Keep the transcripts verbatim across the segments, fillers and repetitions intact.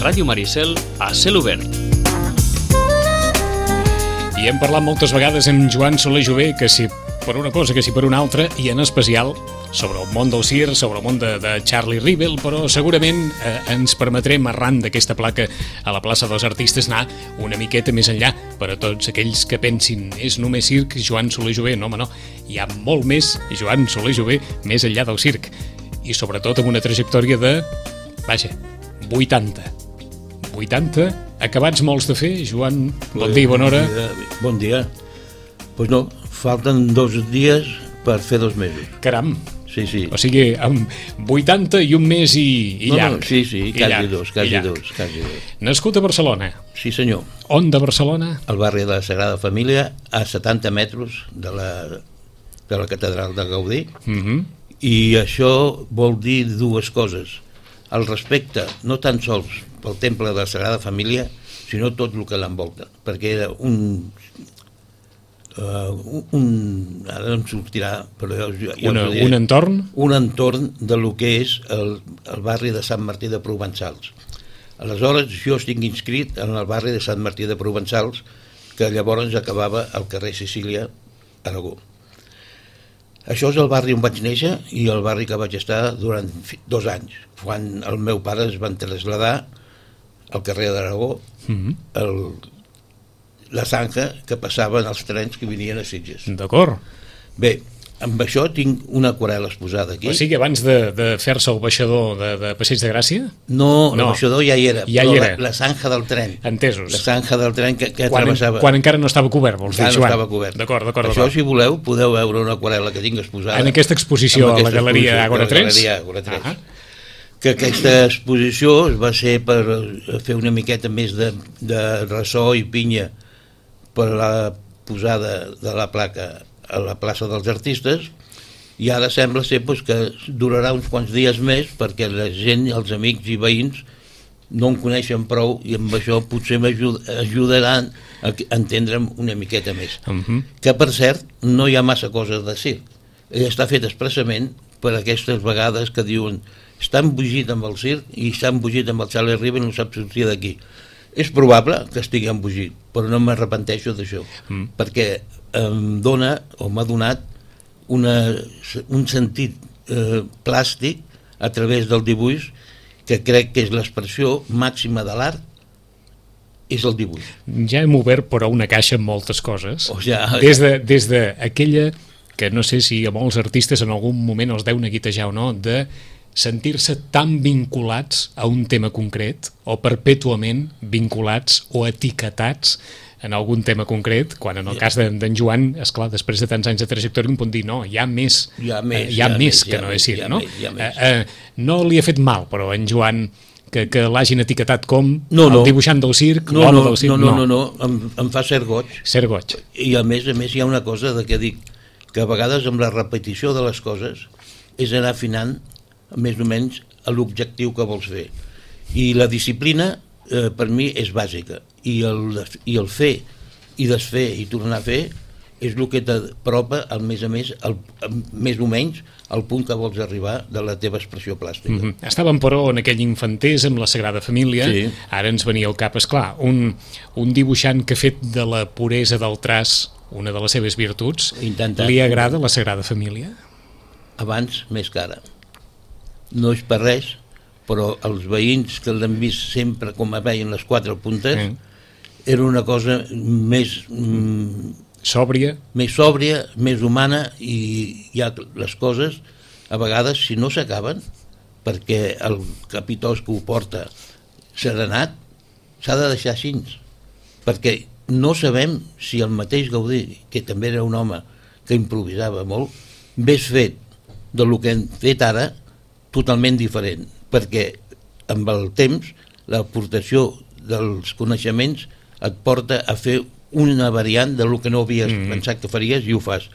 Ràdio Maricel a cel obert. I hem parlat moltes vegades amb Joan Soler Jové, que si per una cosa, que si per una altra, i en especial sobre el món del circ, sobre el món de, de Charlie Rivel, però segurament eh, ens permetrem, arran d'aquesta placa a la plaça dels Artistes, anar una miqueta més enllà per a tots aquells que pensin és només circ, Joan Soler Jové. No, home, no. Hi ha molt més Joan Soler Jové més enllà del circ. I sobretot amb una trajectòria de, vaja, vuitanta. vuitanta, acabats molts de fer. Joan, bon dia i bona hora. Bon dia. Pues no, falten dos dies per fer dos mesos. Caram. Sí, sí. O sigui, amb vuitanta i un mes i, i no, llarg. No, sí, sí, I quasi llarg, dos, quasi dos, quasi dos. Nascut a Barcelona. Sí, senyor. On de Barcelona? Al barri de la Sagrada Família, a setanta metres de la, de la catedral de Gaudí. Uh-huh. I això vol dir dues coses. El respecte, no tan sols pel temple de la Sagrada Família, sinó tot el que l'envolta, perquè era un... Uh, un ara em sortirà, però jo, jo Una, un entorn? Un entorn de lo que és el, el barri de Sant Martí de Provençals. Aleshores, jo estic inscrit en el barri de Sant Martí de Provençals, que llavors acabava al carrer Sicília, Aragó. Això és el barri on vaig néixer i el barri que vaig estar durant dos anys, quan el meu pare es van traslladar al carrer d'Aragó, mm-hmm. el la zanja que passaven els trens que venien a Sitges. D'acord. Bé, amb això tinc una aquarel·la exposada aquí. O sigui, abans de, de fer-se el baixador de, de Passeig de Gràcia? No, no, el baixador ja hi era, ja però hi era. La, la zanja del tren. Entesos. La zanja del tren que, que quan, travessava... Quan encara no estava cobert, vols dir, Joan? Joan? No estava cobert. D'acord, d'acord. Això, si voleu, podeu veure una aquarel·la que tinc exposada. En aquesta exposició a la Galeria Ágora tres? A la Galeria Ágora tres. Uh-huh. Que aquesta exposició es va ser per fer una miqueta més de, de ressò i pinya per la posada de la placa a la plaça dels Artistes, i ara sembla ser pues, que durarà uns quants dies més perquè la gent, els amics i veïns no en coneixen prou i amb això potser m'ajudaran a entendre'm una miqueta més. Uh-huh. Que per cert no hi ha massa coses de circ. Ell està fet expressament per aquestes vegades que diuen està embogit amb el circ i està embogit amb el Charlie Rivel i no sap sortir d'aquí. És probable que estigui embogit, però no m'arrepenteixo d'això, mm. perquè em dona, o m'ha donat, una, un sentit eh, plàstic a través del dibuix, que crec que és l'expressió màxima de l'art, és el dibuix. Ja hem obert, però, una caixa amb moltes coses. O ja, des de, des de aquella, que no sé si a molts artistes en algun moment els deu neguitejar o no, de sentir-se tan vinculats a un tema concret o perpètuament vinculats o etiquetats en algun tema concret, quan en el cas d'en Joan, esclar, després de tants anys de trajectòria un pot dir, no, hi ha més, hi ha més, hi ha hi ha més més, que hi ha no més, és circ, no? Hi ha més. Eh, eh, no li ha fet mal, però en Joan, que, que l'hagin etiquetat com no, no. el dibuixant del circ, no, l'home no, del circ, no. No, no, no, em, em fa cert goig. Cert goig. I a més a més hi ha una cosa de que dic, que a vegades amb la repetició de les coses és anar afinant més o menys a l'objectiu que vols fer. I la disciplina eh, per mi és bàsica, i el, i el fer i desfer i tornar a fer és el que t'apropa al més a més el, més o menys al punt que vols arribar de la teva expressió plàstica. Mm-hmm. Estàvem, però, en aquell infantès amb la Sagrada Família. Sí. Ara ens venia al cap, esclar, un, un dibuixant que ha fet de la puresa del traç una de les seves virtuts. Intentat. Li agrada la Sagrada Família? Abans més que ara. No és per res, però els veïns que l'han vist sempre com a veien les quatre puntes, mm. era una cosa més... Mm, sòbria? Més sòbria, més humana, i ja les coses, a vegades, si no s'acaben, perquè el capitós que ho porta serenat, s'ha de deixar així, perquè no sabem si el mateix Gaudí, que també era un home que improvisava molt, hagués fet del que hem fet ara totalment diferent, perquè amb el temps l'aportació dels coneixements et porta a fer una variant de lo que no havies mm. pensat que faries i ho fas.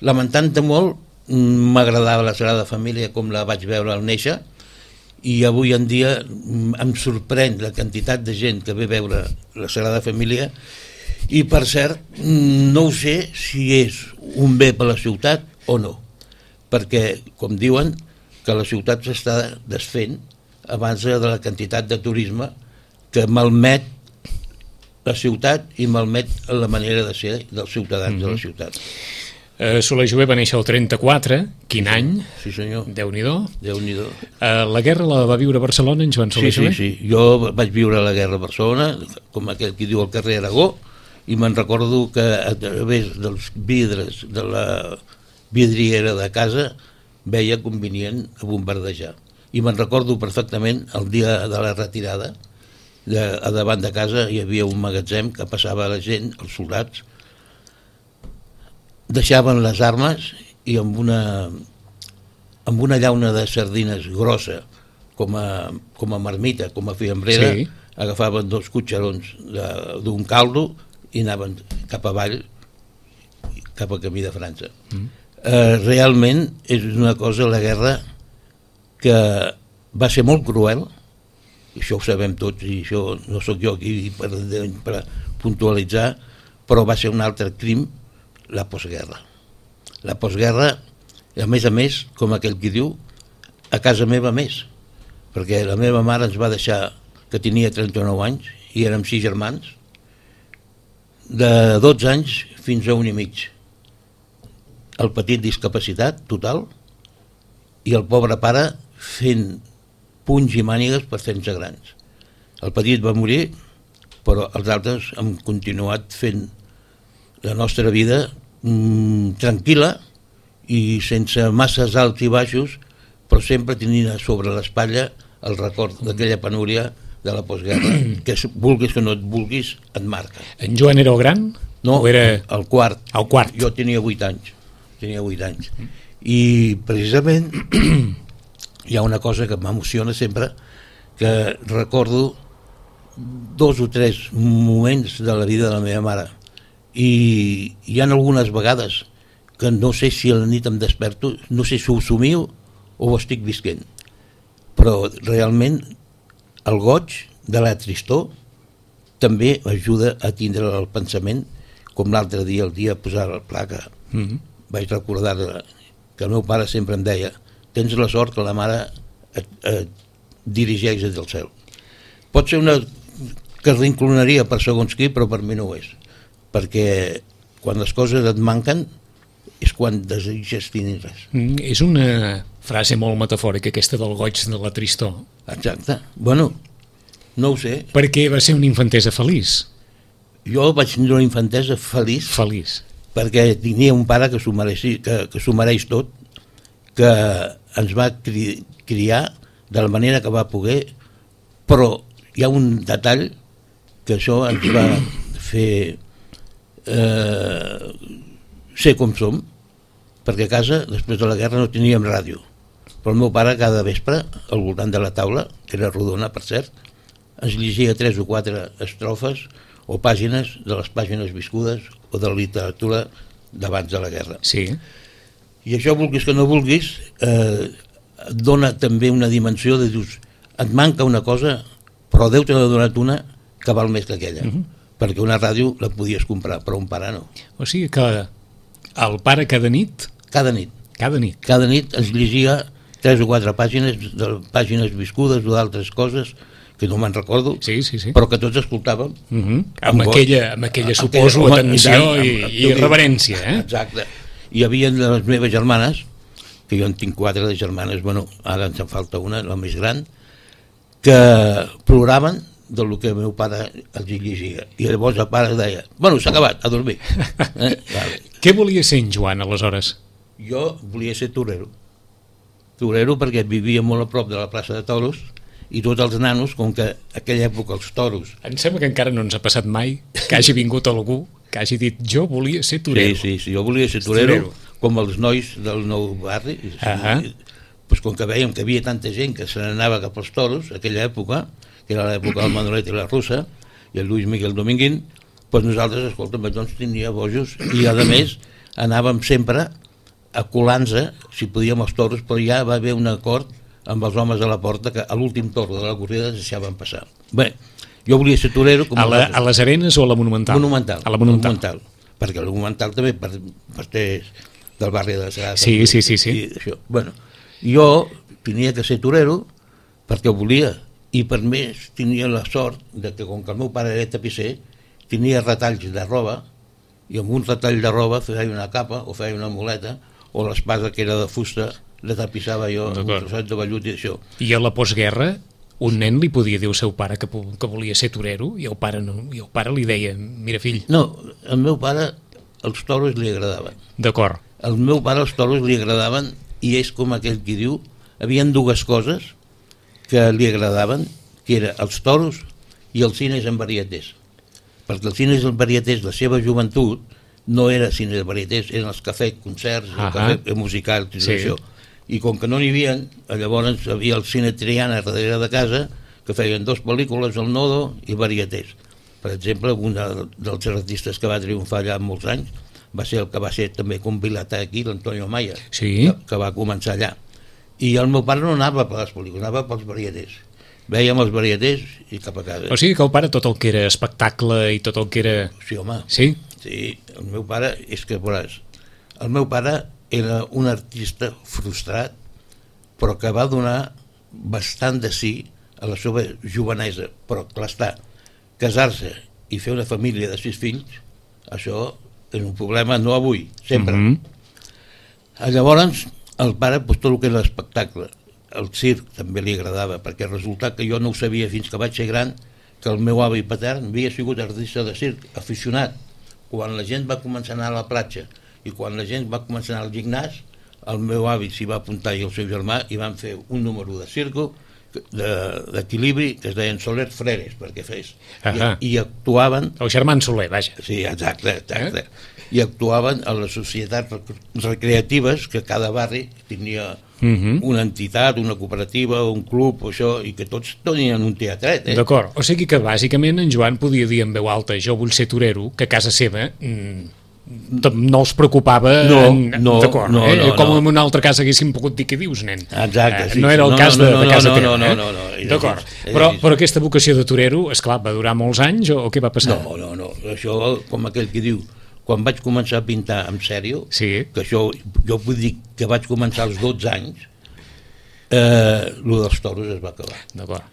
Lamentant-te molt, m'agradava la Sagrada Família com la vaig veure al néixer, i avui en dia em sorprèn la quantitat de gent que ve a veure la Sagrada Família, i per cert, no ho sé si és un bé per la ciutat o no, perquè, com diuen, que la ciutat s'està desfent abans de la quantitat de turisme que malmet la ciutat i malmet la manera de ser dels ciutadans mm-hmm. de la ciutat. Uh, Soler Jové va néixer el trenta-quatre, quin sí, any? Sí, senyor. Déu-n'hi-do. Déu-n'hi-do. Uh, la guerra la va viure a Barcelona, en Joan Soler sí, Jové? Sí, sí, jo vaig viure la guerra a Barcelona, com aquell que diu al carrer Aragó, i me'n recordo que a través dels vidres de la vidriera de casa veia convenient a bombardejar. I me'n recordo perfectament el dia de la retirada, de, a davant de casa hi havia un magatzem que passava la gent, els soldats, deixaven les armes i amb una, amb una llauna de sardines grossa, com a, com a marmita, com a fiambrera, sí. Agafaven dos cotxerons d'un caldo i anaven cap avall, cap a camí de França. Mm. Eh, realment és una cosa, la guerra, que va ser molt cruel, i això ho sabem tots, i això no sóc jo aquí per, per puntualitzar, però va ser un altre crim, la postguerra. La postguerra, a més a més, com aquell qui diu, a casa meva més, perquè la meva mare ens va deixar, que tenia trenta-nou anys, i érem sis germans, de dotze anys fins a un i mig. El petit discapacitat total, i el pobre pare fent punys i mànigues per fer-nos grans. El petit va morir, però els altres hem continuat fent la nostra vida mm, tranquil·la i sense masses alts i baixos, però sempre tenint sobre l'espatlla el record d'aquella penúria de la postguerra, que vulguis que no et vulguis, et marca. En Joan era el gran? No, era... el quart. El quart. Jo tenia vuit anys. Tenia vuit anys. I precisament hi ha una cosa que m'emociona sempre, que recordo dos o tres moments de la vida de la meva mare, i hi ha algunes vegades que no sé si a la nit em desperto, no sé si ho somiu o ho estic visquent, però realment el goig de la tristor també ajuda a tindre el pensament, com l'altre dia, el dia de posar el pla, que mm-hmm. vaig recordar que el meu pare sempre em deia: tens la sort que la mare et, et dirigeix des del cel. Pot ser una que es reinclinaria per segons qui, però per mi no ho és, perquè quan les coses et manquen és quan desitges tenir-les. Mm, és una frase molt metafòrica, aquesta del goig de la tristor. Exacte. Bueno, no ho sé. Perquè va ser una infantesa feliç. Jo vaig tenir una infantesa feliç. Feliç. Perquè tenia un pare que s'ho mereixi, que, que s'ho mereix tot, que ens va cri, criar de la manera que va poder, però hi ha un detall que això ens va fer eh, ser com som, perquè a casa, després de la guerra, no teníem ràdio, però el meu pare cada vespre, al voltant de la taula, que era rodona, per cert, ens llegia tres o quatre estrofes o pàgines de les pàgines viscudes o de la literatura d'abans de la guerra. Sí. I això, vulguis que no vulguis, eh, et dona també una dimensió de dius, et manca una cosa, però Déu te n'ha donat una que val més que aquella, uh-huh. perquè una ràdio la podies comprar, però un pare no. O sigui que el pare cada nit... Cada nit. Cada nit. Cada nit ens llegia tres o quatre pàgines, de pàgines viscudes o d'altres coses que no me'n recordo, sí, sí, sí. però que tots escoltàvem. Uh-huh. Amb, amb, aquella, amb aquella, suposo, aquella, atenció i, i, i, i reverència. Eh? Exacte. Hi havia les meves germanes, que jo en tinc quatre de germanes, bueno, ara ens en falta una, la més gran, que ploraven del que el meu pare els llegia. I llavors el pare deia, bueno, s'ha acabat, a dormir. Eh? Vale. Què volia ser en Joan, aleshores? Jo volia ser torero. Torero perquè vivia molt a prop de la plaça de Toros, i tots els nanos, com que en aquella època els toros... Em sembla que encara no ens ha passat mai que hagi vingut algú que hagi dit jo volia ser torero. Sí, sí, sí, jo volia ser torero, torero. Com els nois del nou barri. Uh-huh. Pues com que veiem que havia tanta gent que se n'anava cap als toros, aquella època, que era l'època del Manolet i la Russa, i el Lluís Miguel Dominguín, pues nosaltres, escolta, doncs tenia bojos, i a més anàvem sempre a colar-nos, si podíem, els toros, però ja va haver un acord amb els homes a la porta que a l'últim torn de la corrida es deixaven passar. Bé, jo volia ser torero... Com a, la, a les Arenes o a la Monumental? Monumental. A la Monumental. Monumental. Perquè la Monumental també per, per del barri de la Sagrada. Sí, sí, sí. sí. I això. Bueno, jo tenia que ser torero perquè ho volia, i per més tenia la sort de que com que el meu pare era tapisser tenia retalls de roba i amb un retall de roba feia una capa o feia una muleta o l'espasa que era de fusta la tapissava jo amb un trosset de vellut i això. I a la postguerra un nen li podia dir al seu pare que, que volia ser torero i el pare no, i el pare li deia, mira fill. No, al meu pare els toros li agradaven. D'acord. Al meu pare els toros li agradaven i és com aquell qui diu, havien dues coses que li agradaven, que eren els toros i els cines en varietés. Perquè els cines en varietés, la seva joventut, no era cines en varietés, eren els cafès, concerts, el cafè musical, tot sí. Això. I com que no n'hi havia, llavors hi havia el cine Triana darrere de casa, que feien dues pel·lícules, el Nodo i varietés. Per exemple, un dels artistes que va triomfar allà molts anys va ser el que va ser també convilat aquí, l'Antonio Maya, sí. que, que va començar allà. I el meu pare no anava per les pel·lícules, anava pels varietés. Vèiem els varietés i cap a casa. O sigui que el pare tot el que era espectacle i tot el que era... Sí, home. Sí? Sí, el meu pare, és que veuràs, el meu pare era un artista frustrat, però que va donar bastant de sí a la seva jovenesa. Però, clar està, casar-se i fer una família de sis fills, això és un problema no avui, sempre. Mm-hmm. Llavors, el pare, doncs, tot el que era l'espectacle, el circ també li agradava, perquè resulta que jo no ho sabia fins que vaig ser gran, que el meu avi patern havia sigut artista de circ, aficionat. Quan la gent va començar a anar a la platja i quan la gent va començar a anar al gimnàs, el meu avi s'hi va apuntar i el seu germà i van fer un número de circo d'equilibri que es deien Soler Freres, perquè fes. I, i actuaven... El germà Soler, vaja. Sí, exacte, exacte. Eh? I actuaven a les societats recreatives que cada barri tenia uh-huh. una entitat, una cooperativa, un club, això, i que tots tenien un teatret. Eh? D'acord, o sigui que bàsicament en Joan podia dir en veu alta jo vull ser torero, que a casa seva mm, no els preocupava no, en... no, d'acord, no, eh? no, com no. en un altre cas haguéssim pogut dir què dius, nen. Exacte, sí, eh, no era el no, cas no, de, no, de casa no, teva, no, eh? no, no, no, d'acord, però, però aquesta vocació de torero, esclar, va durar molts anys o, o què va passar? No, no, no, això com aquell que diu quan vaig començar a pintar en sèrio, sí. que això, jo vull dir que vaig començar als dotze anys, eh, lo dels toros es va acabar. D'acord.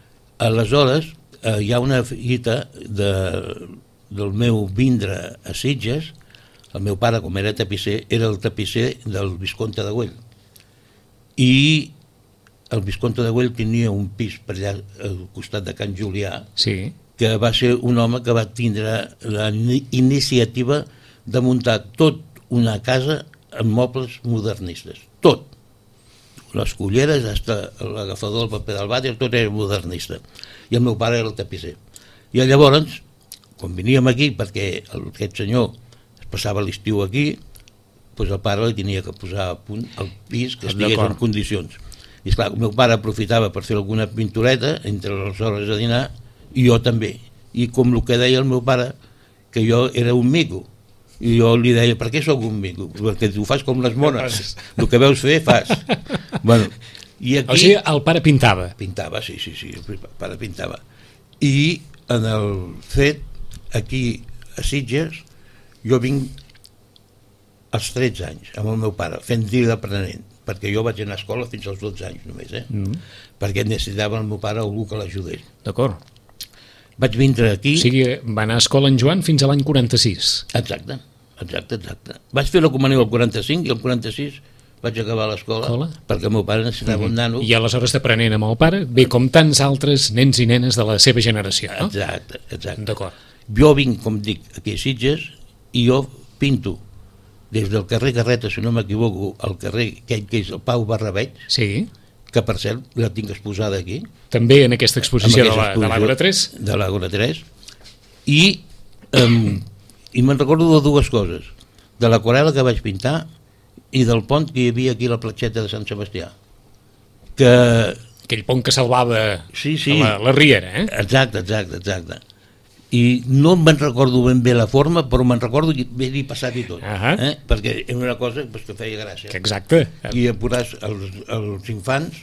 Aleshores, eh, hi ha una fita de, del meu vindre a Sitges. El meu pare, com era tapisser, era el tapisser del Visconte de Güell. I el Visconte de Güell tenia un pis per allà al costat de Can Julià, sí. que va ser un home que va tindre la iniciativa de muntar tot una casa amb mobles modernistes. Tot. Les culleres, hasta l'agafador, el paper del vàter, tot era modernista. I el meu pare era el tapisser. I llavors, quan veníem aquí, perquè aquest senyor es passava l'estiu aquí, doncs el pare li tenia que posar a punt el pis que estigués en condicions. I esclar, el meu pare aprofitava per fer alguna pintureta entre les hores de dinar i jo també. I com el que deia el meu pare, que jo era un mico. I jo li deia, per què sóc un mico? Perquè tu fas com les mones, el que veus fer, fas. Bueno, i aquí... O sigui, el pare pintava? Pintava, sí, sí, sí, el pare pintava. I en el fet, aquí a Sitges, jo vinc als tretze anys, amb el meu pare, fent dir d'aprenent, perquè jo vaig anar a escola fins als dotze anys només, eh? Mm. Perquè necessitava el meu pare algú que l'ajudés. D'acord. Vaig vindre aquí... O sigui, va anar a escola en Joan fins a l'any quaranta-sis. Exacte, exacte, exacte. Vaig fer la comunió al quaranta-cinc i al quaranta-sis vaig acabar l'escola perquè el meu pare necessitava mm-hmm. un nano. I aleshores d'aprenent amb el pare, bé com tants altres nens i nenes de la seva generació, no? Exacte, exacte. D'acord. Jo vinc, com dic, aquí a Sitges i jo pinto des del carrer Carreta, si no m'equivoco, al carrer que és el Pau Barrabeig, sí. que per cert la tinc exposada aquí. També en aquesta exposició, en aquesta exposició de l'Àgora tres? De l'Àgora tres. I, um, i me'n recordo de dues coses. De l'aquarel·la que vaig pintar i del pont que hi havia aquí a la platgeta de Sant Sebastià. Que... Aquell pont que salvava sí, sí. La, la riera, eh? Exacte, exacte, exacte. I no me'n recordo ben bé la forma, però me'n recordo que havia passat i tot. Uh-huh. Eh? Perquè era una cosa pues, que feia gràcia. Exacte. I apuràs els, els infants,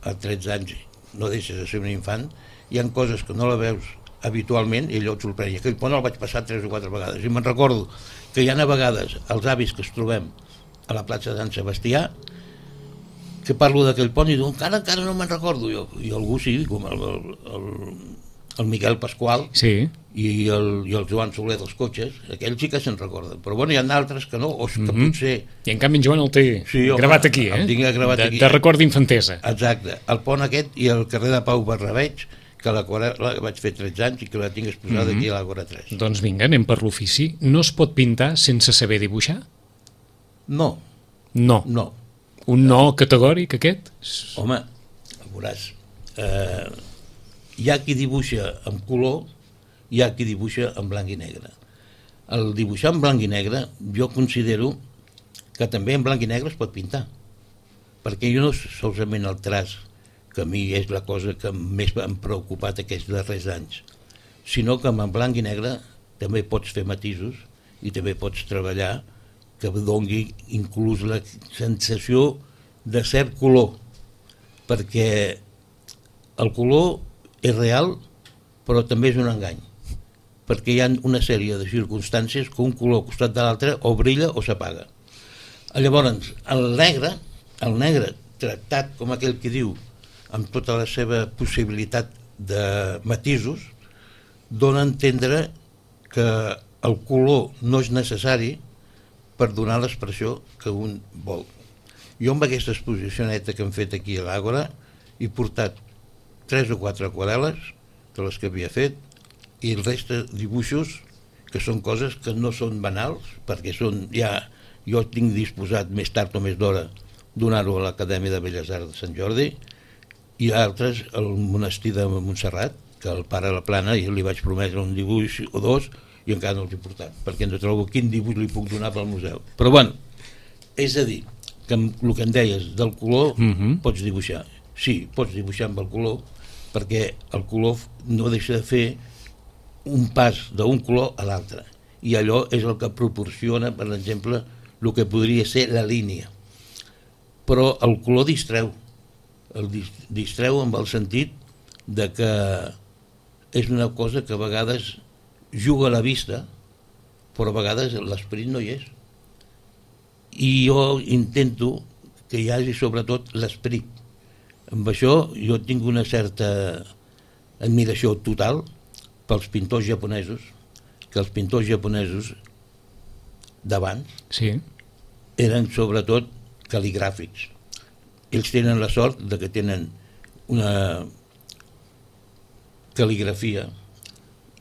a tretze anys no deixes de ser un infant, hi ha coses que no la veus habitualment i allò et sorprèn. Aquell pont el vaig passar tres o quatre vegades. I me'n recordo que hi ha a vegades els avis que es trobem a la platja de Sant Sebastià que parlo d'aquell pont i diu, encara, encara no me'n recordo jo. I algú sí, com el, el, el, el Miquel Pasqual sí. i, el, i el Joan Soler dels cotxes, aquells sí que se'n recorden, però bueno, hi ha d'altres que no, o que mm-hmm. potser... I en canvi en Joan el té sí, home, gravat aquí, eh? El tinc gravat de, aquí. De record d'infantesa. Exacte, el pont aquest i el carrer de Pau Barrabeig, que l'aquarel·la vaig fer tretze anys i que la tinc exposada mm-hmm. aquí a l'Àgora tres. Doncs vinga, anem per l'ofici. No es pot pintar sense saber dibuixar? No. No. No. Un no categòric, aquest? Home, veuràs, eh, hi ha qui dibuixa en color, hi ha qui dibuixa en blanc i negre. El dibuixar en blanc i negre, jo considero que també en blanc i negre es pot pintar, perquè jo no solament el traç, que a mi és la cosa que més m'ha preocupat aquests darrers anys, sinó que en blanc i negre també pots fer matisos i també pots treballar que doni inclús la sensació de cert color, perquè el color és real però també és un engany, perquè hi ha una sèrie de circumstàncies que un color al costat de l'altre o brilla o s'apaga. Llavors, el negre, el negre tractat com aquell que diu amb tota la seva possibilitat de matisos, dona a entendre que el color no és necessari per donar l'expressió que un vol. Jo amb aquesta exposició neta que hem fet aquí a l'Àgora he portat tres o quatre aquarel·les de les que havia fet i el reste dibuixos que són coses que no són banals, perquè són ja, jo tinc disposat més tard o més d'hora donar-ho a l'Acadèmia de Belles Arts de Sant Jordi, i altres al monestir de Montserrat, que el pare la plana i li vaig prometre un dibuix o dos i encara no els he portat, perquè no trobo quin dibuix li puc donar pel museu. Però bueno, és a dir, que amb el que em deies del color mm-hmm. pots dibuixar. Sí, pots dibuixar amb el color, perquè el color no deixa de fer un pas d'un color a l'altre, i allò és el que proporciona, per exemple, el que podria ser la línia. Però el color distreu, el distreu amb el sentit de que és una cosa que a vegades juga a la vista, però a vegades l'esperit no hi és. I jo intento que hi hagi sobretot l'esperit. Amb això jo tinc una certa admiració total pels pintors japonesos, que els pintors japonesos d'abans sí. eren sobretot cal·ligràfics. Ells tenen la sort de que tenen una cal·ligrafia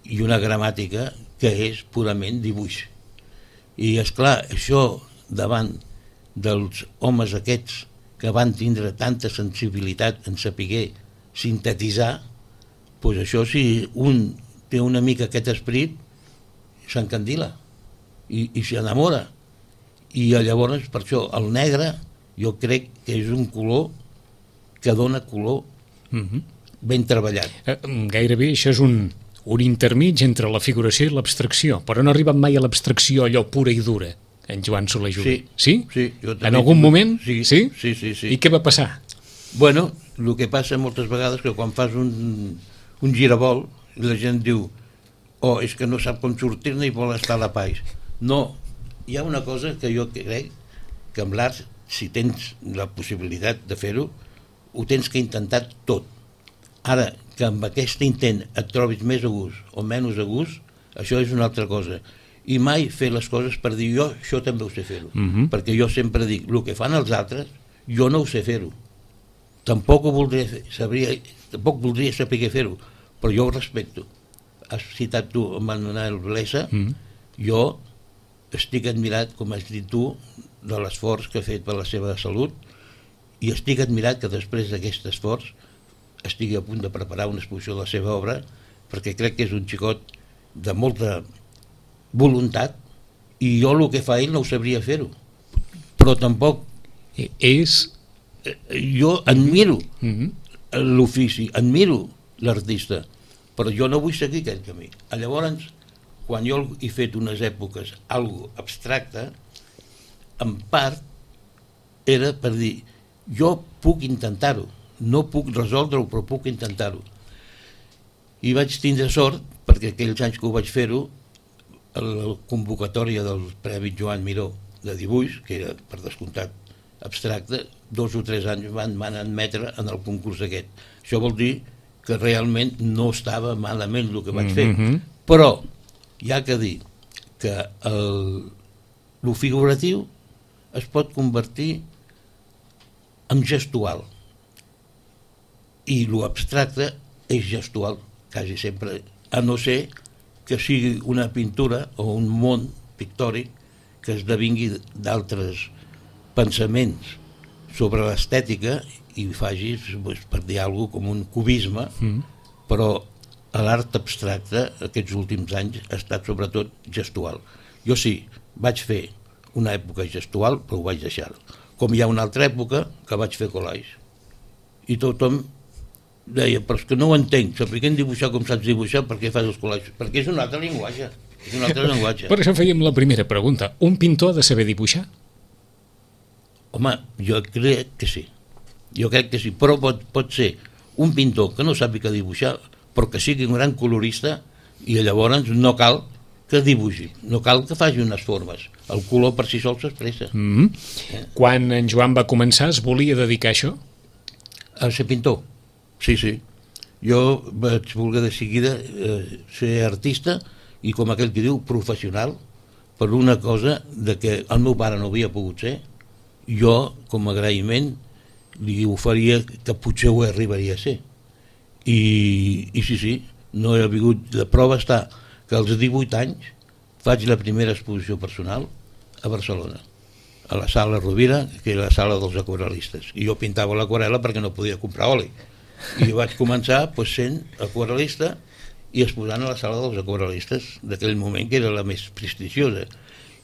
i una gramàtica que és purament dibuix. I és clar, això davant dels homes aquests que van tindre tanta sensibilitat en saber sintetitzar, doncs això, si un té una mica aquest esperit, s'encandila i, i s'enamora. I llavors, per això, el negre jo crec que és un color que dona color mm-hmm. ben treballat. Eh, gairebé això és un, un intermig entre la figuració i l'abstracció, però no ha arribat mai a l'abstracció allò pura i dura, en Joan Soler Jové. Sí, sí? sí jo en algun moment? Sí, sí? Sí, sí, sí. I què va passar? Bueno, el que passa moltes vegades que quan fas un, un giravolt, la gent diu oh, és que no sap com sortir-ne i vol estar a la paix. No, hi ha una cosa que jo crec que amb l'art, si tens la possibilitat de fer-ho, ho tens que intentar tot. Ara, que amb aquest intent et trobis més a gust o menys a gust, això és una altra cosa. I mai fer les coses per dir jo això també ho sé fer-ho. Mm-hmm. Perquè jo sempre dic, el que fan els altres, jo no ho sé fer-ho. Tampoc ho voldria, sabria, tampoc voldria saber fer-ho, però jo ho respecto. Has citat tu Manuel Blesa, mm-hmm. jo estic admirat, com has dit tu, de l'esforç que ha fet per la seva salut, i estic admirat que després d'aquest esforç estigui a punt de preparar una exposició de la seva obra, perquè crec que és un xicot de molta voluntat, i jo el que fa ell no ho sabria fer-ho, però tampoc és... jo admiro mm-hmm. l'ofici, admiro l'artista, però jo no vull seguir aquell camí. Llavors, quan jo he fet unes èpoques algo abstracte, en part era per dir jo puc intentar-ho, no puc resoldre-ho, però puc intentar-ho. I vaig tindre sort, perquè aquells anys que ho vaig fer-ho, la convocatòria del Premi Joan Miró de dibuix, que era per descomptat abstracte, dos o tres anys van, van admetre en el concurs aquest. Això vol dir que realment no estava malament el que vaig fer. Mm-hmm. Però hi ha que dir que el, el figuratiu es pot convertir en gestual i l'abstracte és gestual quasi sempre, a no ser que sigui una pintura o un món pictòric que esdevingui d'altres pensaments sobre l'estètica i faci, per dir alguna cosa, com un cubisme, mm. però l'art abstracte aquests últims anys ha estat sobretot gestual. Jo sí, vaig fer una època gestual, però ho vaig deixar. Com hi ha una altra època que vaig fer collage. I tothom deia, però és que no ho entenc, s'apliquen dibuixar com saps dibuixar, per què fas els collages? Perquè és un altre llenguatge. És un altre llenguatge. Per això fèiem la primera pregunta. Un pintor ha de saber dibuixar? Home, jo crec que sí. Jo crec que sí, però pot, pot ser un pintor que no sàpiga dibuixar, però que sigui un gran colorista, i llavors no cal que dibuixi, no cal que faci unes formes. El color per si sol s'expressa. Mm-hmm. Eh? Quan en Joan va començar, es volia dedicar a això? A ser pintor. Sí, sí. Jo vaig voler de seguida eh, ser artista i, com aquell que diu, professional, per una cosa de que el meu pare no havia pogut ser, jo, com a agraïment, li oferia que potser ho arribaria a ser. I, i sí, sí, no he vingut. La prova està que als divuit anys faig la primera exposició personal a Barcelona, a la sala Rovira, que era la sala dels aquarel·listes. I jo pintava l'aquarel·la perquè no podia comprar oli. I vaig començar pues, sent aquarel·lista i exposant a la sala dels aquarel·listes d'aquell moment, que era la més prestigiosa.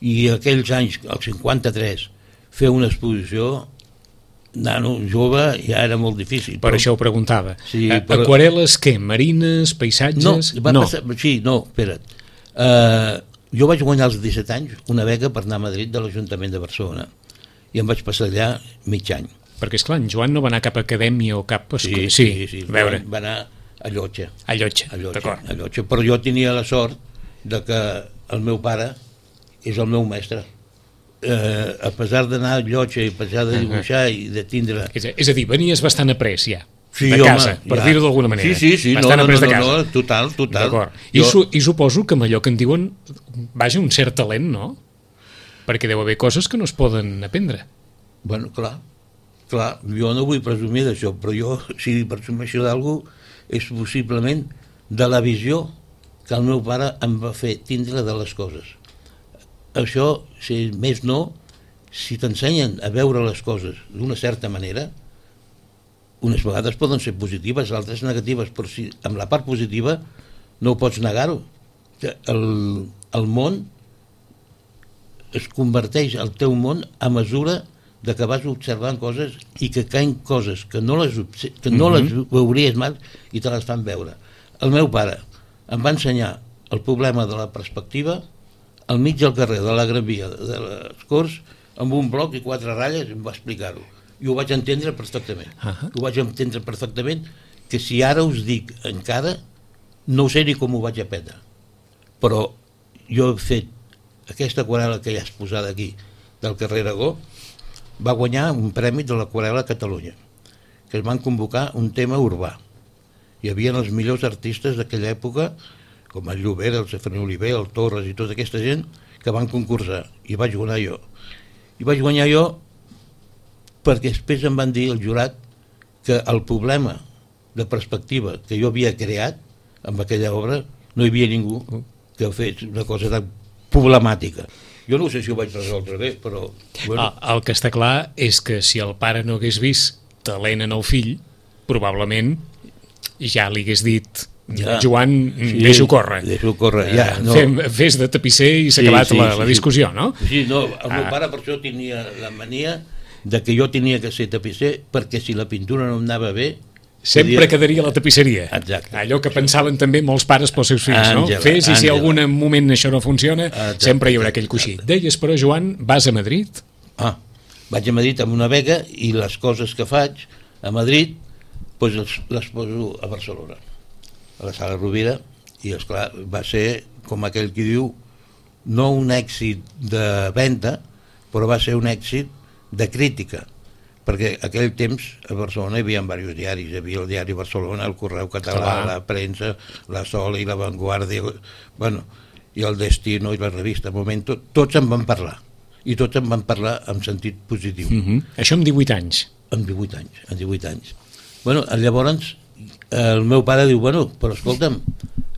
I aquells anys, el cinquanta-tres, fer una exposició nano, jove, ja era molt difícil. Per però... això ho preguntava. Sí, però... Aquarel·les, què? Marines, paisatges? No, va no. Passar... Sí, no, espera't. Uh, jo vaig guanyar als disset anys una beca per anar a Madrid de l'Ajuntament de Barcelona i em vaig passar allà mig any. Perquè, esclar, en Joan no va anar a cap acadèmia o cap... Sí, sí, sí, sí. Va, va anar a Llotja. A Llotja, a Llotja, d'acord. A Llotja. Però jo tenia la sort de que el meu pare és el meu mestre. Eh, a pesar d'anar a Llotja i a pesar de dibuixar uh -huh. i de tindre... És a, és a dir, venies bastant après ja, sí, de casa, home, per ja. dir-ho d'alguna manera. Sí, sí, sí, bastant no, no, après no, de casa. no, total, total. D'acord. I, jo... su I suposo que amb allò que en diuen, vaja, un cert talent, no? Perquè deu haver coses que no es poden aprendre. Bueno, clar, clar, jo no vull presumir d'això, però jo, si presumeixo d'algú, és possiblement de la visió que el meu pare em va fer tindre de les coses. Això, si més no, si t'ensenyen a veure les coses d'una certa manera, unes vegades poden ser positives, altres negatives, però si amb la part positiva no ho pots negar-ho. El, el món es converteix al teu món a mesura de que vas observant coses i que caen coses que no les, que no les veuries mai i te les fan veure. El meu pare em va ensenyar el problema de la perspectiva al mig del carrer de la Gran Via de les Corts, amb un bloc i quatre ratlles, em va explicar-ho. I ho vaig entendre perfectament. Uh -huh. Ho vaig entendre perfectament, que si ara us dic encara, no sé ni com ho vaig aprendre. Però jo he fet aquesta aquarel·la que ja has posat aquí, del carrer Aragó, va guanyar un premi de l'aquarel·la a Catalunya, que es van convocar un tema urbà. Hi havia els millors artistes d'aquella època, com el Llobera, el Sefreni Oliver, el Torres i tota aquesta gent, que van concursar, i vaig guanyar jo. I vaig guanyar jo perquè després em van dir el jurat que el problema de perspectiva que jo havia creat amb aquella obra no hi havia ningú que fes una cosa tan problemàtica. Jo no sé si ho vaig resoldre bé, però... Bueno. El, el que està clar és que si el pare no hagués vist talent en el fill, probablement ja li hagués dit... Ja. Joan, sí, deixo córrer. Deixo córrer, ja. No. Fem, fes de tapisser i s'ha sí, acabat sí, la, la discussió, sí. no? Sí, no, el meu ah. pare per això tenia la mania de que jo tenia que ser tapisser perquè si la pintura no em anava bé... Sempre podia... quedaria la tapisseria. Exacte. Allò que pensaven també molts pares pels seus fills, Àngela, no? Fes i si Àngela. algun moment això no funciona, exacte, sempre hi haurà aquell coixí. Exacte. Deies, però, Joan, vas a Madrid? Ah, vaig a Madrid amb una beca i les coses que faig a Madrid doncs les, les poso a Barcelona, a la sala Rovira, i esclar, va ser, com aquell qui diu, no un èxit de venda, però va ser un èxit de crítica, perquè aquell temps a Barcelona hi havia diversos diaris, hi havia el diari Barcelona, el Correu Català, Clar. la Premsa, la Sol i la Vanguardia, bueno, i el Destino i la revista Momento, tots en van parlar, i tots en van parlar en sentit positiu. Uh-huh. Això amb divuit anys. Amb divuit anys, amb divuit anys. Bueno, llavors el meu pare diu, bueno, però escolta'm,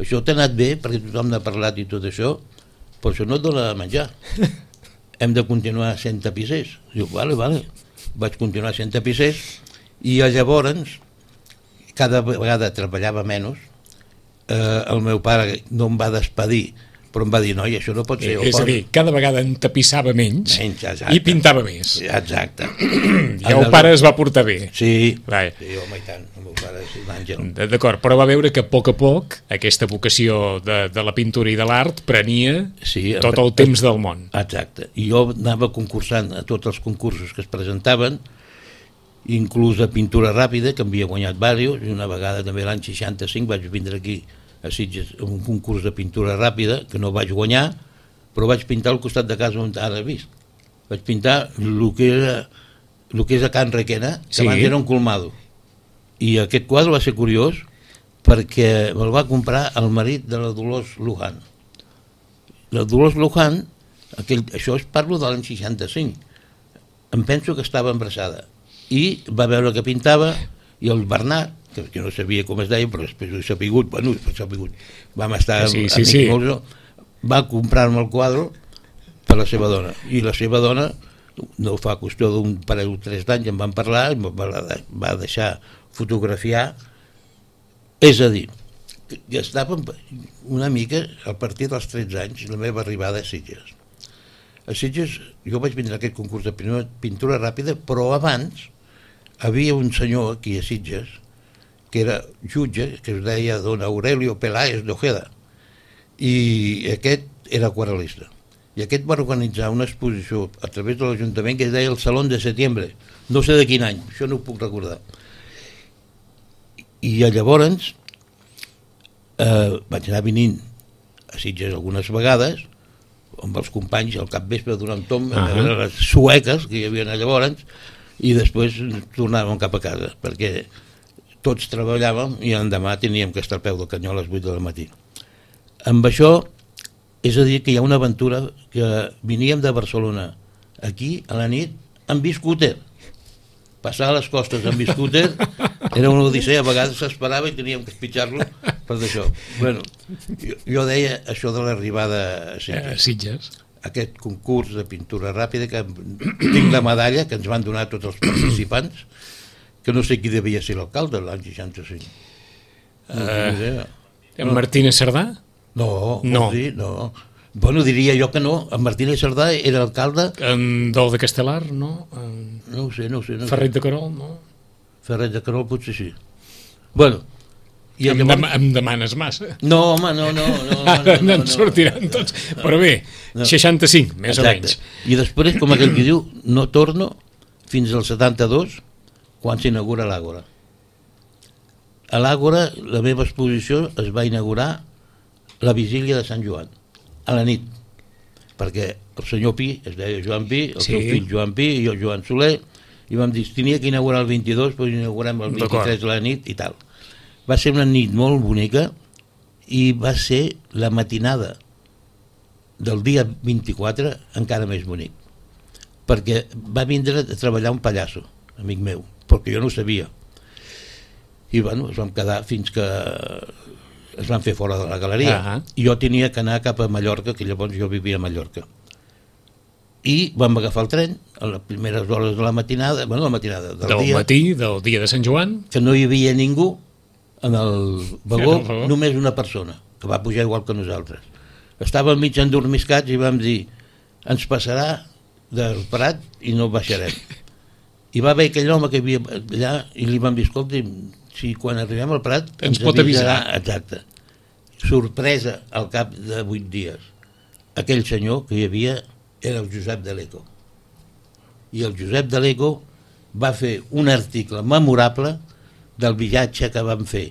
això t'ha anat bé perquè tothom n'ha parlat i tot això, però això no et dona menjar. Hem de continuar sent tapissers. Diu, vale, vale. Vaig continuar sent tapissers i llavors cada vegada treballava menys. Eh, el meu pare no em va despedir, però em va dir, noi, això no pot ser. És a dir, cada vegada en tapissava menys, menys i pintava més. Exacte. I el pare es va portar bé. Sí, Vai. sí, home, i tant. El meu pare és un àngel. D'acord, però va veure que a poc a poc aquesta vocació de, de la pintura i de l'art prenia Sí, tot el temps del món. Exacte. I jo anava concursant a tots els concursos que es presentaven, inclús a pintura ràpida, que havia guanyat diversos, i una vegada també l'any seixanta-cinc vaig vindre aquí a Sitges un concurs de pintura ràpida, que no vaig guanyar, però vaig pintar al costat de casa on ara vist. Vaig pintar el que era el que és a Can Requena, que Sí. abans era un colmado. I aquest quadre va ser curiós perquè me'l va comprar el marit de la Dolors Luján. La Dolors Luján, aquell, això es parlo de l'any seixanta-cinc, em penso que estava embarassada, i va veure que pintava, i el Bernat, que, que no sabia com es deia, però després ho he sapigut, bueno, ho he sapigut, vam estar Sí, sí, amics sí. molts, va comprar-me el quadre per la seva dona, i la seva dona, no fa qüestió d'un parell o tres d'anys, em van parlar, em va, va deixar fotografiar, és a dir, que estava una mica a partir dels tretze anys, la meva arribada a Sitges. A Sitges jo vaig vindre a aquest concurs de pintura ràpida, però abans havia un senyor aquí a Sitges que era jutge, que es deia don Aurelio Peláez de Ojeda, i aquest era aquarel·lista, i aquest va organitzar una exposició a través de l'Ajuntament que es deia el Salón de Setembre, no sé de quin any, això no ho puc recordar, i llavors eh, vaig anar venint a Sitges algunes vegades amb els companys al capvespre durant tom, uh -huh. les sueques que hi havia llavors, i després tornàvem cap a casa perquè tots treballàvem i l'endemà teníem que estar al peu del canyó a les vuit del matí. Amb això, és a dir, que hi ha una aventura que veníem de Barcelona aquí a la nit amb biscúter. Passar a les costes amb biscúter era una odissea, a vegades s'esperava i teníem que espitxar-lo per d'això. Bueno, jo, jo deia això de l'arribada a Sitges. A Sitges. Aquest concurs de pintura ràpida, que tinc la medalla que ens van donar tots els participants, que no sé qui devia ser l'alcalde l'any seixanta-cinc. No tinc idea. En Martínez Cerdà? No, No. vols dir? No. Bueno, diria jo que no. En Martínez Cerdà era alcalde... En Dol de Castelar, no? En No ho sé, no ho sé. No ho sé. Ferret de Carol, no? Ferret de Carol potser sí. Bueno, i Em, llavors... dem em demanes massa. No, home, no, no. no, Ara no, no, en no, sortiran no, tots. no. Però bé, No. seixanta-cinc, més o Exacte. menys. I després, com aquell que diu, no torno fins al setanta-dos, quan s'inaugura l'Àgora. A l'Àgora, la meva exposició es va inaugurar la vigília de Sant Joan, a la nit, perquè el senyor Pi, es deia Joan Pi, el Sí. seu fill Joan Pi i jo Joan Soler, i vam dir, tenia que inaugurar el vint-i-dos, però inaugurem el vint-i-tres de la nit i tal. Va ser una nit molt bonica i va ser la matinada del dia vint-i-quatre encara més bonic, perquè va vindre a treballar un pallasso, amic meu, perquè jo no ho sabia. I bueno, es vam quedar fins que es van fer fora de la galeria. Ah. I jo tenia que anar cap a Mallorca, que llavors jo vivia a Mallorca. I vam agafar el tren a les primeres hores de la matinada, bueno, la matinada del, Del dia, matí, del dia de Sant Joan. que no hi havia ningú en el vagó, En el vagó. només una persona, que va pujar igual que nosaltres. Estàvem mig endormiscats i vam dir, ens passarà del Prat i no baixarem. I va haver aquell home que hi havia allà i li vam dir, escolti, si quan arribem al Prat Ens pot avisar. Exacte. Sorpresa al cap de vuit dies. Aquell senyor que hi havia era el Josep de l'Eco. I el Josep de l'Eco va fer un article memorable del viatge que vam fer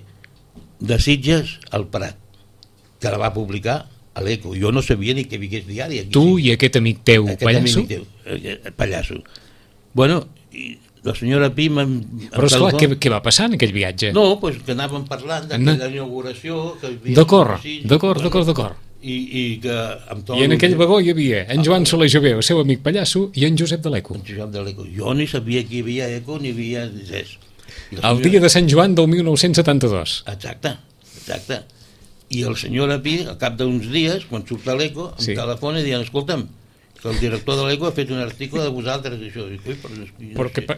de Sitges al Prat, que la va publicar a l'Eco. Jo no sabia ni que vingués diari aquí. Tu i aquest amic teu, Aquest Pallasso? amic teu, eh, Pallasso. Bueno, i la senyora Pi... Però esclar, què, què va passar en aquell viatge? No, doncs que anàvem parlant d'aquella inauguració... D'acord, d'acord, d'acord, d'acord. I, i que amb tot I en aquell vagó hi havia en Joan Soler Jové, el seu amic Pallasso, i en Josep de l'Eco. En Josep de l'Eco. Jo ni sabia que hi havia Eco ni hi havia res. El dia de Sant Joan del mil nou-cents setanta-dos. Exacte, exacte. I el senyor Pi, al cap d'uns dies, quan surt a l'Eco, em sí. telefona i diuen, escolta'm, que el director de l'Eco ha fet un article de vosaltres, i això. Dic, ui, però no, no Perquè, pa...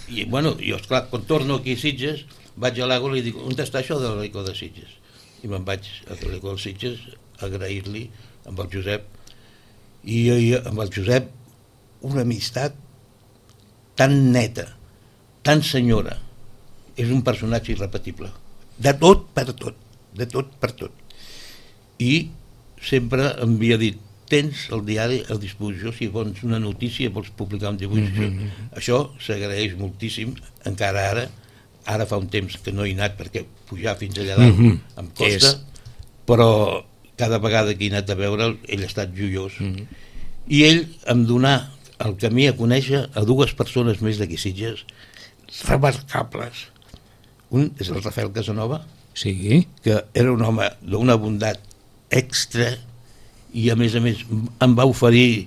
I, bueno, jo, esclar, quan torno aquí a Sitges, vaig a l'Eco i li dic, on està això de l'Eco de Sitges? I me'n vaig a l'Eco de Sitges a agrair-li amb el Josep, i, i amb el Josep una amistat tan neta, tan senyora. És un personatge irrepetible, de tot per tot, de tot per tot. I sempre em havia dit, tens el diari a disposició, si vols una notícia vols publicar un dibuix. Mm-hmm. Això s'agraeix moltíssim, encara ara, ara fa un temps que no he anat perquè pujar fins allà dalt mm-hmm. em costa, però cada vegada que he anat a veure'l, ell ha estat joiós. Mm-hmm. I ell em donà el camí a conèixer a dues persones més d'aquí Sitges, remarcables. Un és el Rafael Casanova, sí. que era un home d'una bondat extra, i a més a més em va oferir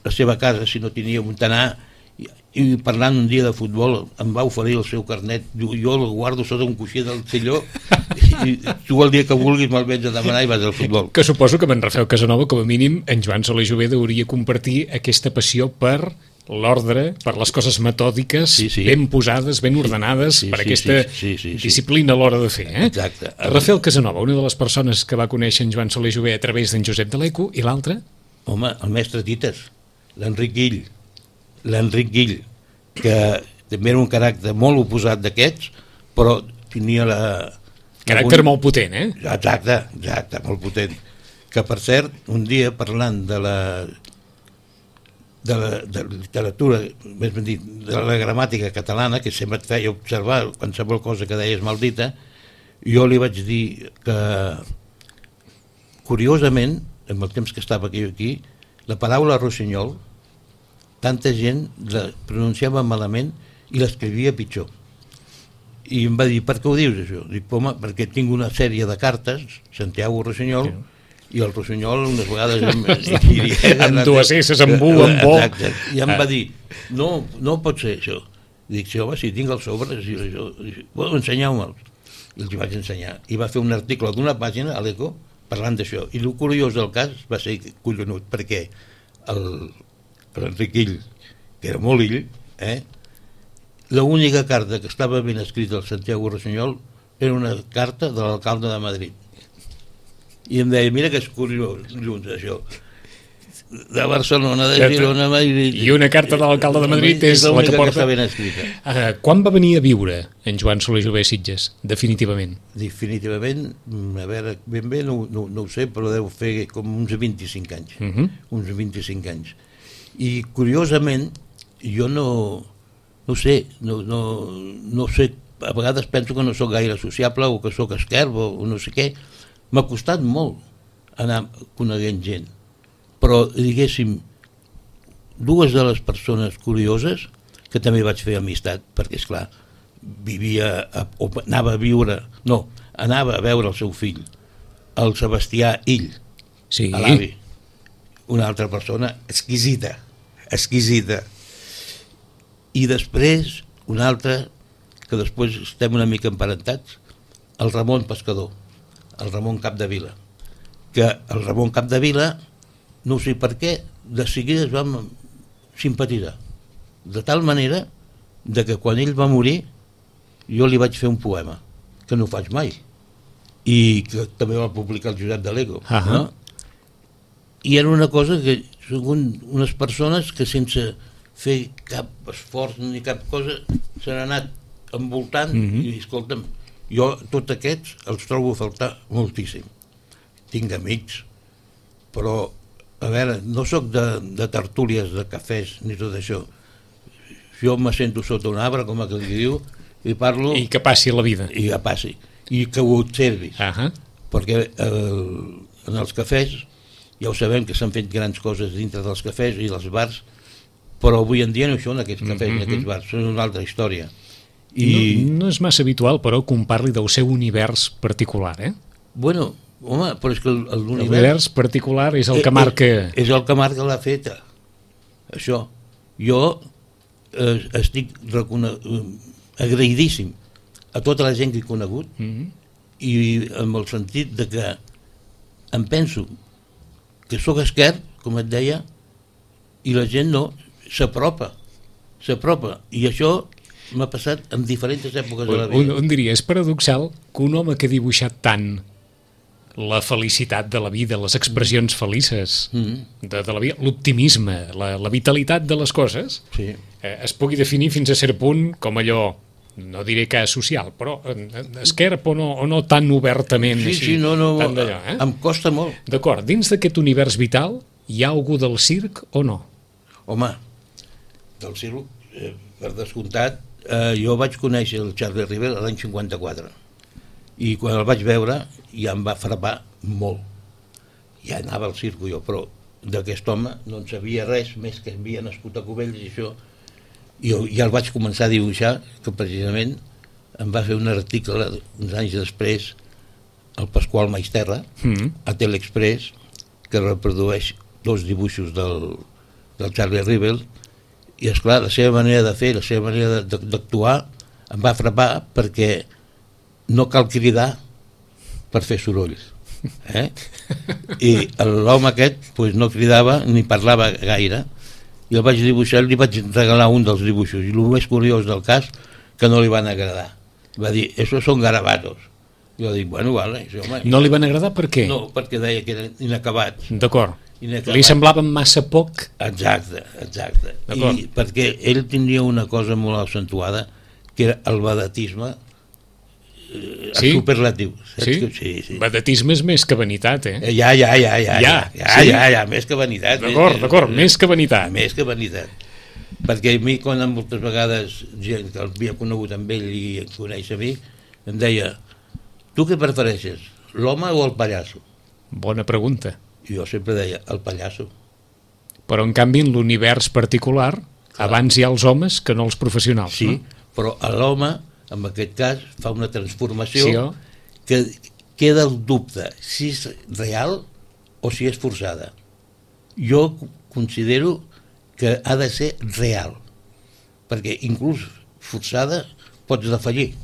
la seva casa si no tenia on anar, i, i parlant un dia de futbol em va oferir el seu carnet, jo, jo el guardo sota un coixí del silló i tu el dia que vulguis me'l vens a demanar i vas al futbol. Que suposo que amb en Rafael Casanova com a mínim en Joan Soler Jové hauria compartir aquesta passió per l'ordre, per les coses metòdiques, sí, sí. ben posades, ben ordenades, sí, sí, per sí, aquesta sí, sí, sí, sí. disciplina a l'hora de fer. Eh? Exacte. Rafael Casanova, una de les persones que va conèixer en Joan Soler Jové a través d'en Josep de l'Eco, i l'altre? Home, el mestre Tites, l'Enric Guill, l'Enric Guill, que també era un caràcter molt oposat d'aquests, però tenia la... Caràcter algun... molt potent, eh? Exacte, exacte, molt potent. Que, per cert, un dia parlant de la... de la, de la literatura, més ben dit, de la gramàtica catalana, que sempre et feia observar qualsevol cosa que deies maldita, jo li vaig dir que, curiosament, en el temps que estava aquí, aquí la paraula rossinyol, tanta gent la pronunciava malament i l'escrivia pitjor. I em va dir, per què ho dius, això? Dic, home, perquè tinc una sèrie de cartes, Santiago Rossinyol, sí. I el Rossinyol unes vegades amb, amb dues esses, amb u, amb bo. Exacte. I em va dir, no, no pot ser això. Dic, sí, home, si tinc els sobres, bueno, ensenyeu-me'ls. I els vaig ensenyar. I va fer un article d'una pàgina a l'Eco parlant d'això. I el curiós del cas va ser collonut, perquè l'Enric Guill, que era molt ill, eh, l'única carta que estava ben escrita al Santiago Rossinyol era una carta de l'alcalde de Madrid. I em deia, mira que és curiós, junts, això. De Barcelona, de Girona, Madrid... I una carta de l'alcalde de Madrid és la que porta... Que ben escrita. Uh, quan va venir a viure en Joan Soler Jové a Sitges, definitivament? Definitivament, a veure, ben bé no, no, no ho sé, però deu fer com uns vint-i-cinc anys. Uh -huh. Uns vint-i-cinc anys. I, curiosament, jo no... No sé, no, no, no sé, a vegades penso que no sóc gaire sociable o que sóc esquerp o no sé què. M'ha costat molt anar coneguent gent, però diguéssim, dues de les persones curioses que també vaig fer amistat, perquè esclar, vivia a, o anava a viure, no, anava a veure el seu fill, el Sebastià Ill, sí. A l'avi, una altra persona exquisita, exquisita. I després una altra, que després estem una mica emparentats, el Ramon Pescador, el Ramon Capdevila, que el Ramon Capdevila, no sé per què, de seguida es vam simpatitzar, de tal manera de que quan ell va morir jo li vaig fer un poema, que no ho faig mai, i que també va publicar el Josep de l'Eco, uh -huh. no? I era una cosa que són unes persones que sense fer cap esforç ni cap cosa s'han anat envoltant uh -huh. i escolta'm, jo tots aquests els trobo a faltar moltíssim. Tinc amics, però a veure, no sóc de, de tertúlies, de cafès ni tot això. Jo me sento sota un arbre, com aquell que diu, i parlo... I que passi la vida. I que passi. I que ho observis. Uh -huh. Perquè el, en els cafès ja ho sabem que s'han fet grans coses dintre dels cafès i dels bars, però avui en dia no són aquests cafès, Mm-hmm. aquests bars, són una altra història. I... No, no és massa habitual, però, que un parli del seu univers particular, eh? Bueno, home, però és que el- el- l'univers... L'univers particular és el que Eh, marca... eh, És el que marca la feta. Això. Jo eh, estic recone... eh, agraïdíssim a tota la gent que he conegut Mhm. i amb el sentit de que em penso que sóc esquerp, com et deia, i la gent no s'apropa, s'apropa. I això m'ha passat en diferents èpoques de la Un, vida. un diria, és paradoxal que un home que ha dibuixat tant la felicitat de la vida, les expressions felices Mm, de, de la vida, l'optimisme, la, la vitalitat de les coses, sí. eh, es pugui definir fins a cert punt com allò, no diré que és social, però eh, esquerp o no, o no tan obertament Sí, així, sí, no, no, tant d'allò, eh? em costa molt. D'acord, dins d'aquest univers vital hi ha algú del circ o no? Home, del circ, eh, per descomptat, eh, jo vaig conèixer el Charlie Rivel l'any cinquanta-quatre i quan el vaig veure ja em va frapar molt. Ja anava al circo jo, però d'aquest home no en sabia res, més que havia nascut a Cubells i això. I jo ja el vaig començar a dibuixar, que precisament em va fer un article uns anys després el Pasqual Maisterra Mm. a Telexpress, que reprodueix dos dibuixos del, del Charlie Rivel, i esclar, la seva manera de fer, la seva manera de- de- d'actuar em va frapar perquè no cal cridar per fer sorolls, eh? I l'home aquest pues, no cridava ni parlava gaire, i el vaig dibuixar, li vaig regalar un dels dibuixos, i el més curiós del cas que no li van agradar, va dir, esos son garabatos. Jo dic, bueno, vale, això, home, No li van agradar per què? no, perquè deia que eren inacabats. D'acord. Inacabat. Li semblaven massa poc? Exacte, exacte. D'acord. I perquè ell tindria una cosa molt accentuada, que era el vedetisme eh, Sí? superlatiu. Saps Sí? que- sí, sí. Vedetisme és més que vanitat, eh? Eh, Ja, ja, ja, ja, Ja, ja, ja, sí? ja, ja, més que vanitat. D'acord, més- d'acord, més que vanitat. Més que vanitat. Perquè a mi, quan moltes vegades gent que havia conegut amb ell i em coneix a mi, em deia, tu què prefereixes, l'home o el pallasso? Bona pregunta. I jo sempre deia, el pallasso. Però, en canvi, en l'univers particular, abans hi ha els homes que no els professionals, Sí, no? però a l'home, en aquest cas, fa una transformació Sí, oh? que queda el dubte si és real o si és forçada. Jo considero que ha de ser real, perquè inclús forçada pots defallir,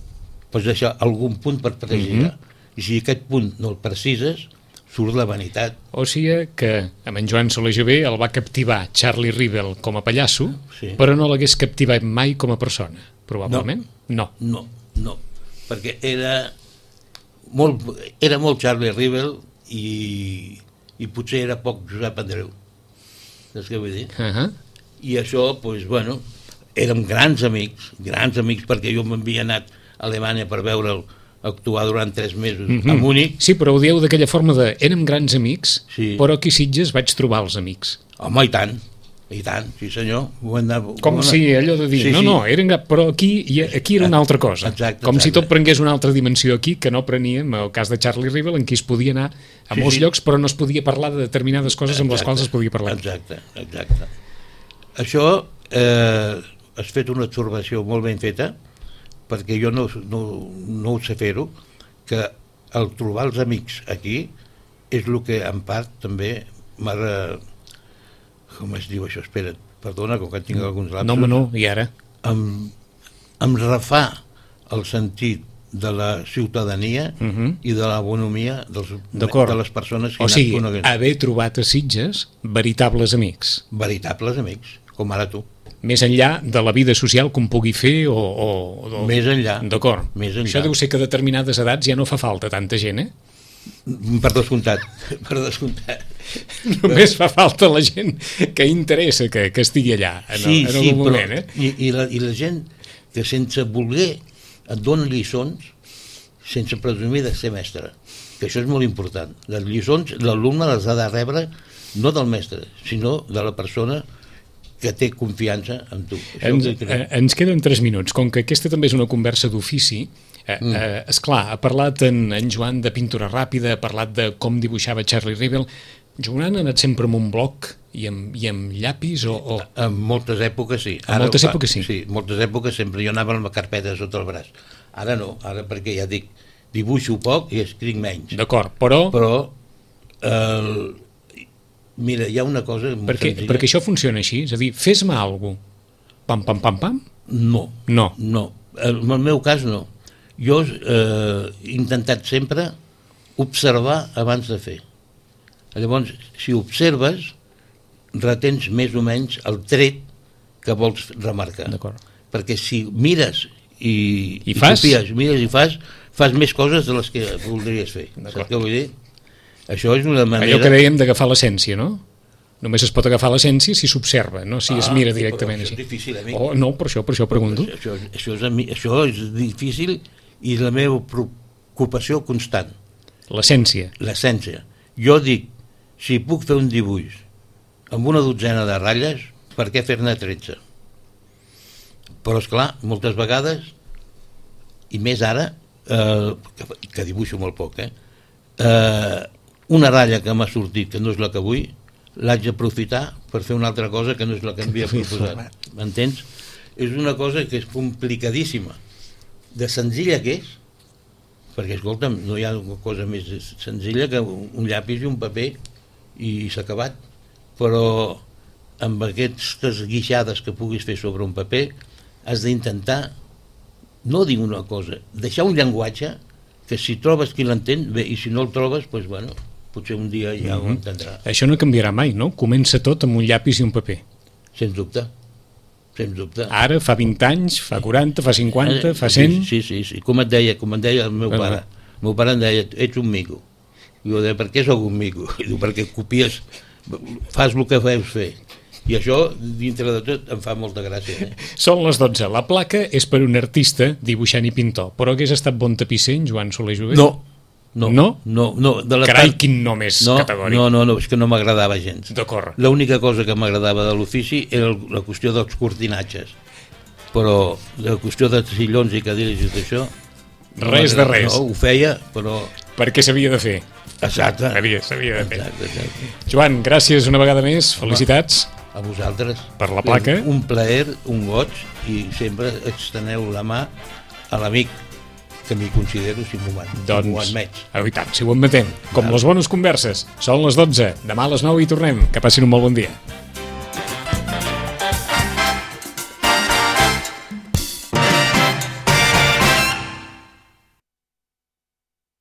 pots deixar algun punt per precisar, Mhm. i si aquest punt no el precises, surt la vanitat. O sigui que amb en Joan Soler Jové el va captivar Charlie Rivel com a pallasso, Sí. però no l'hagués captivat mai com a persona, probablement? No. No, no, perquè era molt, era molt Charlie Rivel i, i potser era poc Josep Andreu. Saps què vull dir? Uh -huh. I això, doncs, bueno, érem grans amics, grans amics, perquè jo m'havia anat a Alemanya per veure'l actuar durant tres mesos Mhm. a Múnich. Sí, però ho dieu d'aquella forma de érem grans amics, Sí. però aquí a Sitges vaig trobar els amics. Home, i tant, i tant, sí senyor. Ho hem de, Com ho hem de- si allò de dir, Sí, no, sí. no, eren, gra- però aquí, i aquí era una altra cosa. Exacte, Com si exacte. tot prengués una altra dimensió aquí, que no preníem, el cas de Charlie Rivel, en què es podia anar a Sí, molts sí. llocs, però no es podia parlar de determinades coses amb les Exacte, quals es podia parlar. Exacte, exacte. Això eh, has fet una observació molt ben feta, perquè jo no, no, no ho sé fer-ho, que el trobar els amics aquí és el que en part també m'ha de... Com es diu això? Espera't, perdona, com que tinc alguns lapsos. No, home, no, i ara? Em, em refà el sentit de la ciutadania Uh -huh. i de la bonomia dels, D'acord. de les persones que O he sigui, anat coneguent. haver trobat a Sitges veritables amics, Veritables amics, com ara tu. més enllà de la vida social que un pugui fer o... o, o... Més enllà. D'acord. Més enllà. Això deu ser que a determinades edats ja no fa falta tanta gent, eh? Per descomptat, per descomptat. Només fa falta la gent que interessa que, que estigui allà en, Sí, el, en sí, el moment, però, eh? i, i, la, i la gent que sense voler et dona lliçons sense presumir de ser mestre, que això és molt important. Les lliçons l'alumne les ha de rebre no del mestre, sinó de la persona que té confiança en tu. Això Ens, que crec. eh, ens queden tres minuts. Com que aquesta també és una conversa d'ofici, eh, Mm. eh, esclar, ha parlat en, en Joan de pintura ràpida, ha parlat de com dibuixava Charlie Rivel. Joan ha anat sempre amb un bloc I amb, i amb llapis o... o... En moltes èpoques sí. En moltes èpoques sí? Sí, en moltes èpoques sempre jo anava amb la carpeta sota el braç. Ara no, ara perquè ja dic, dibuixo poc i escric menys. D'acord, però... Però, eh, mira, hi ha una cosa molt perquè, senzilla. perquè això funciona així, és a dir, fes-me alguna cosa. Pam, pam, pam, pam? No. No. No. En el meu cas no. Jo eh, he intentat sempre observar abans de fer. Llavors, si observes, retens més o menys el tret que vols remarcar. D'acord. Perquè si mires i, I i fas? copies, mires i fas, fas més coses de les que voldries fer. Saps què vull dir? Això és una manera... Allò que dèiem d'agafar l'essència, no? Només es pot agafar l'essència si s'observa, no si ah, es mira directament això així. És difícil, amic. Oh, no, per això, per això pregunto. Això, això, és, això és difícil i la meva preocupació constant. L'essència. L'essència. Jo dic, si puc fer un dibuix amb una dotzena de ratlles, per què fer-ne tretze? Però, esclar, moltes vegades, i més ara, eh, que, que dibuixo molt poc, eh, eh, una ratlla que m'ha sortit, que no és la que vull, l'haig d'aprofitar per fer una altra cosa que no és la que m'havia proposat. M'entens? És una cosa que és complicadíssima. De senzilla que és, perquè, escolta'm, no hi ha una cosa més senzilla que un llapis i un paper i s'ha acabat. Però amb aquestes guixades que puguis fer sobre un paper has d'intentar, no dir una cosa, deixar un llenguatge que si trobes qui l'entén, bé, i si no el trobes, doncs, bueno, potser un dia ja ho entendrà. Això no canviarà mai, no? Comença tot amb un llapis i un paper. Sens dubte. Sens dubte. Ara, fa vint anys, fa quaranta, fa cinquanta, fa cent... Sí, sí, sí. Com et deia, com et deia el meu pare. El meu pare em deia, ets un mico. I jo deia, per què sóc un mico? I diu, perquè copies, fas el que veus fer. I això, dintre de tot, em fa molta gràcia. Eh? Són les dotze. La placa és per un artista, dibuixant i pintor. Però hagués estat bon tapisser, en Joan Soler Jové? No. No? No? No, no. De la Carai, part... quin nom és no, categòric. No, no, no, és que no m'agradava gens. D'acord. L'única cosa que m'agradava de l'ofici era la qüestió dels cortinatges. Però la qüestió de sillons i cadires i tot això... Res de res. No, ho feia, però... Perquè s'havia de fer. Exacte. S'havia de fer. Exacte, exacte. Joan, gràcies una vegada més. Felicitats. A vosaltres. Per la placa. És un plaer, un goig, i sempre exteneu la mà a l'amic que m'hi considero si m'ho doncs, si admets. Oh, i tant, si ho admetem. Com les bones converses. Són les dotze. Demà a les nou hi tornem. Que passin un molt bon dia.